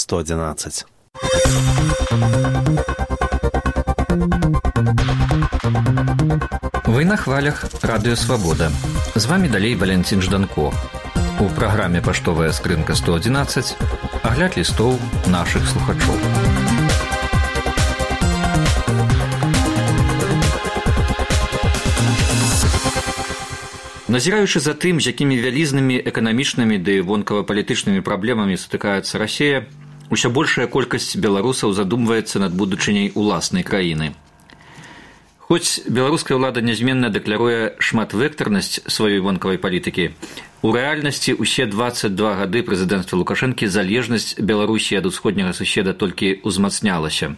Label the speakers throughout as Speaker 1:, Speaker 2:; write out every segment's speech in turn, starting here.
Speaker 1: 111.
Speaker 2: Вы на хвалях Радыё Свабода. З вами далей Валентин Жданко. У праграме «Паштовая скрынка 111» агляд лістоў нашых слухачоў. Назіраючы за тым, з якімі вялізнымі эканамічнымі ды вонкава-палітычнымі праблемамі сутыкаецца Расія, усё большая колькасць беларусаў задумваецца над будучыняй уласнай краіны. Хоць беларуская ўлада нязменна дэкляруе шматвектарнасць сваёй вонкавай палітыкі, у рэальнасці ўсе 22 гады прэзідэнцтва Лукашэнкі залежнасць Беларусі ад усходняга суседа толькі ўзмацнялася.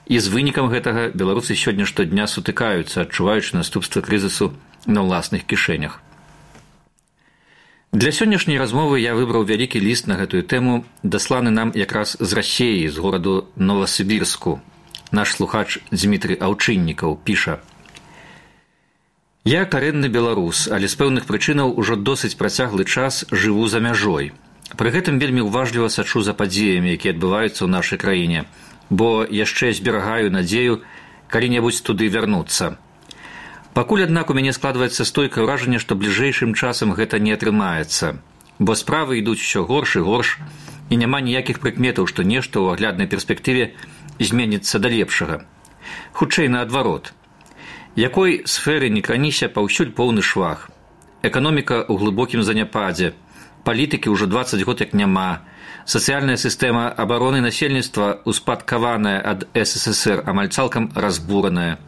Speaker 2: І з вынікам гэтага беларусы сёння штодня сутыкаюцца, адчуваючы наступствы крызісу на ўласных кішэнях. Для сённяшняй размовы я выбраў вялікі ліст на гэтую тэму, дасланы нам якраз з Расіі, з гораду Новасібірску. Наш слухач Дмітрый Аўчыннікаў піша: «Я карэнны беларус, але з пэўных прычынаў ужо досыць працяглы час жыву за мяжой. Пры гэтым вельмі ўважліва сачу за падзеямі, якія адбываюцца ў нашай краіне, бо яшчэ зберагаю надзею калі-небудзь туды вярнуцца. Пакуль, аднак, у мяне складваецца стойкае ўражанне, што бліжэйшым часам гэта не атрымаецца, бо справы ідуць усё горш і горш, і няма ніякіх прыкметаў, што нешта ў агляднай перспектыве зменіцца да лепшага. Хутчэй наадварот. Якой сферы не краніся, паўсюль поўны швах. Эканоміка ў глыбокім заняпадзе, палітыкі ўжо 20 год як няма, сацыяльная сістэма абароны насельніцтва, успадкаваная ад СССР, амаль цалкам разбураная.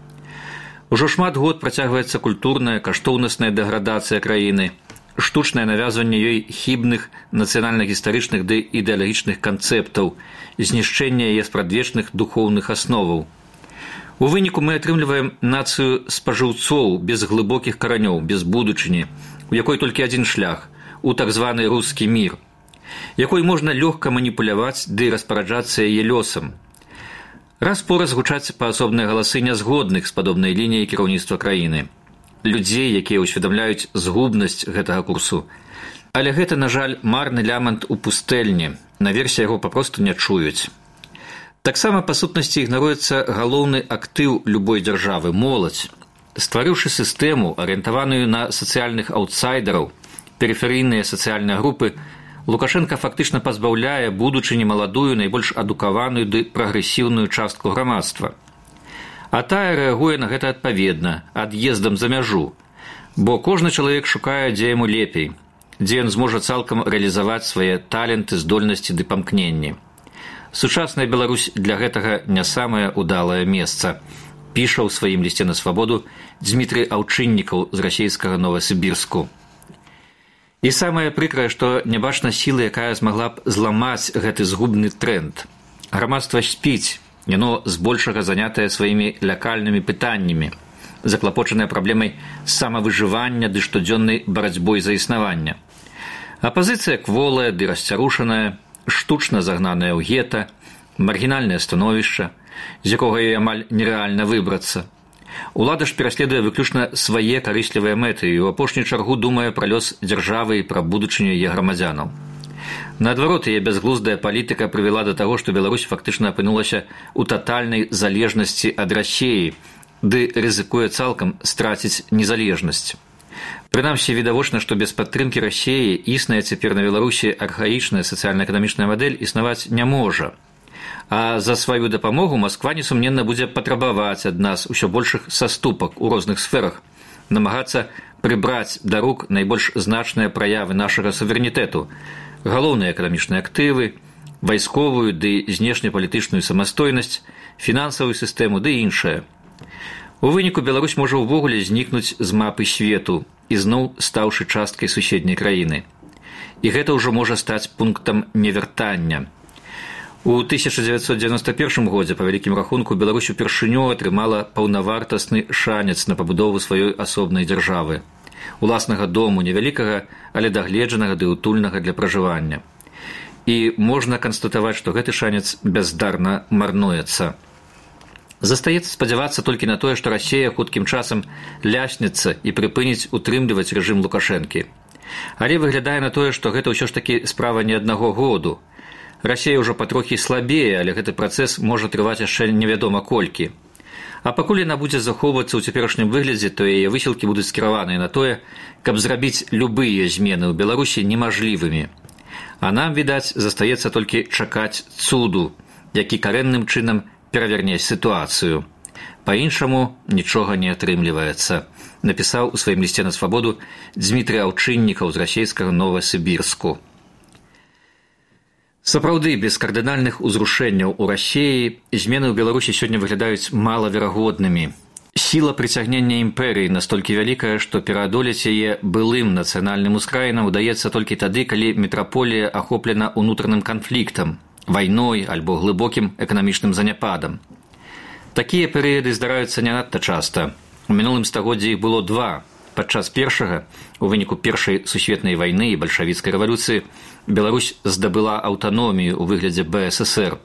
Speaker 2: Ужо шмат год працягваецца культурная, каштоўнасная дэградацыя краіны, штучнае навязванне ёй хібных нацыянальна-гістарычных ды ідэалагічных канцэптаў, знішчэнне яе спрадвечных духоўных асноваў. У выніку мы атрымліваем нацыю спажыўцоў без глыбокіх каранёў, без будучыні, у якой толькі адзін шлях – у так званы рускі мір, якой можна лёгка маніпуляваць ды распараджацца яе лёсам. Раз-пораз гучаць паасобныя галасы нязгодных з падобнай лініяй кіраўніцтва краіны. Людзей, якія ўсведамляюць згубнасць гэтага курсу. Але гэта, на жаль, марны лямант у пустэльні, наверсе яго папросту не чуюць. Таксама па сутнасці ігнаруецца галоўны актыў любой дзяржавы – моладзь. Стварыўшы сістэму, арыентаваную на сацыяльных аўтсайдераў, перыферыйныя сацыяльныя групы, Лукашенко фактычна пазбаўляе будучыні маладую, найбольш адукаваную ды прагрэсіўную частку грамадства. А тая рэагуе на гэта адпаведна, ад'ездам за мяжу, бо кожны чалавек шукае, дзе яму лепей, дзе ён зможа цалкам рэалізаваць свае таленты, здольнасці ды памкненні. Сучасная Беларусь для гэтага не самае ўдалае месца, піша ў сваім лісце на свабоду Дмітрый Аўчыннікаў з расійскага Новасібірску. І самае прыкрае, што не бачна сілы, якая змагла б зламаць гэты згубны тренд. Грамадства спіць, яно збольшага занятае сваімі лякальнымі пытаннямі, заклапочанае праблемай самавыжывання ды штодзённай барацьбой за існаванне. Апазіцыя кволая ды расцярушаная, штучна загнаная ў гета, маргінальнае становішча, з якога ёй амаль нерэальна выбрацца. Улада ж пераследуе выключна свае карыслівыя мэты і ў апошнюю чаргу думае пра лёс дзяржавы і пра будучыню яе грамадзянаў. Наадварот, яе бязглуздая палітыка прывяла да таго, што Беларусь фактычна апынулася ў татальнай залежнасці ад Расіі, ды рызыкуе цалкам страціць незалежнасць. Прынамсі, відавочна, што без падтрымкі Расіі існая цяпер на Беларусі архаічная сацыяльна-эканамічная мадэль існаваць не можа. А за сваю дапамогу Масква несумненна будзе патрабаваць ад нас усё большых саступак у розных сферах, намагацца прыбраць да рук найбольш значныя праявы нашага суверэнітэту, галоўныя эканамічныя актывы, вайсковую ды знешнепалітычную самастойнасць, фінансавую сістэму ды іншае. У выніку Беларусь можа ўвогуле знікнуць з мапы свету, ізноў стаўшы часткай суседняй краіны. І гэта ўжо можа стаць пунктам невяртання. У 1991 годзе, па вялікім рахунку, Беларусь упершыню атрымала паўнавартасны шанец на пабудову сваёй асобнай дзяржавы. Уласнага дому, невялікага, але дагледжанага ды утульнага для пражывання. І можна канстатаваць, што гэты шанец бяздарна марнуецца. Застаецца спадзявацца толькі на тое, што Расія хуткім часам ляснецца і прыпыніць утрымліваць рэжым Лукашэнкі. Але выглядае на тое, што гэта ўсё ж такі справа не аднаго году. Расія ўжо патрохі слабее, але гэты працэс можа трываць яшчэ невядома колькі. А пакуль яна будзе захоўвацца ў цяперашнім выглядзе, то яе высілкі будуць скіраваныя на тое, каб зрабіць любыя змены ў Беларусі немажлівымі. А нам, відаць, застаецца толькі чакаць цуду, які карэнным чынам пераверне сітуацыю. Па-іншаму нічога не атрымліваецца, напісаў у сваім лісце на свабоду Дзмітрый Аўчыннікаў з расійскага Новасібірску. Сапраўды, без кардынальных узрушэнняў у Расіі змены ў Беларусі сёння выглядаюць малаверагоднымі. Сіла прыцягнення імперыі настолькі вялікая, што пераадолець яе былым нацыянальным ускраінам удаецца толькі тады, калі метраполія ахоплена ўнутраным канфліктам, вайной альбо глыбокім эканамічным заняпадам. Такія перыяды здараюцца не надта часта. У мінулым стагоддзі іх было два. Падчас першага, у выніку першай сусветнай вайны і бальшавіцкай рэвалюцыі, Беларусь здабыла аўтаномію ў выглядзе БССР.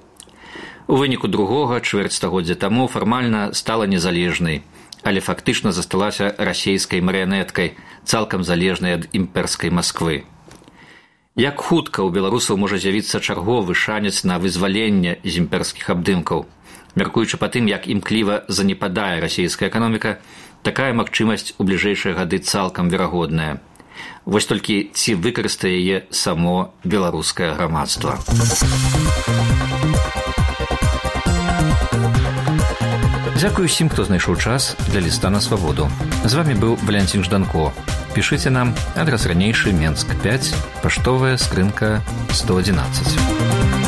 Speaker 2: У выніку другога, чвэрць стагоддзя таму, фармальна стала незалежнай, але фактычна засталася расійскай марыянеткай, цалкам залежнай ад імперскай Масквы. Як хутка ў беларусаў можа з'явіцца чарговы шанец на вызваленне з імперскіх абдымкаў? Мяркуючы па тым, як імкліва занепадае расійская эканоміка, такая магчымасць у бліжэйшыя гады цалкам верагодная. Вось толькі ці выкарыстае яе само беларускае грамадства. Дзякую усім, хто знайшоў час для ліста на свабоду. З вамі быў Валянцін Жданко. Пішыце нам, адрас ранейшы, Менск 5, паштовая скрынка 111.